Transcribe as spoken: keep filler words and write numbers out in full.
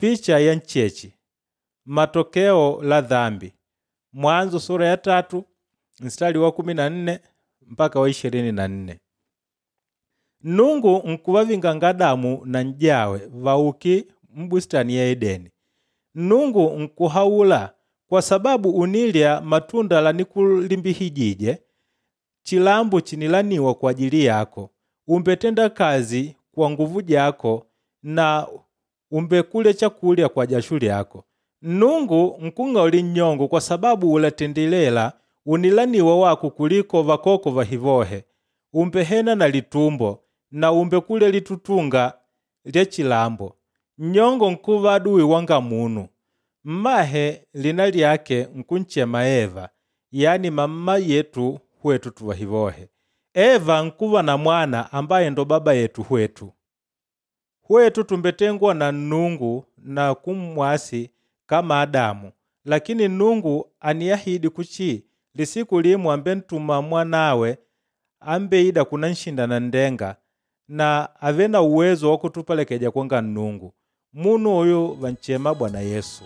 Picha ya nchechi matokeo la dhambi. Mwanzo sura ya tatu mstari wa kumi na nne mpaka wa ishirini na nne. Nungu nkuvavinga Adamu na n'jawe vauki m'bustani ya Edeni. Nungu nkuhaula kwa sababu unilya matunda lanikulimbihijije, chilambo chinilaniwa kwa ajili yako. Umbetenda kazi kwa nguvu jako na umbekulya chakulya kwa jasho lyako. Nungu nkung'aulila nnyongo kwa sababu ulatendelela unilaniwa wako kuliko vakoko vahivohe. Umbehena na litumbo na umbekulya litutunga lya chilambo. Nnyongo nkuva aduwi wanga munu. Mmahe lina lyake nkunchema Eva, yani mamma yetu hwetu tuvahivohe. Eva nkuva na mwana ambaye ndo baba yetu hwetu. Hwetu tumbetengwa na Nnungu na kummwasi kama Adamu, lakini Nnungu aniahidi kuchi lisiku limo ambentuma mwanawe ambeida kunanshinda nanndenga na avee na uwezo wa kutupelekeja kwanga Nnungu. Munu uyu vanchema Bwana Yesu.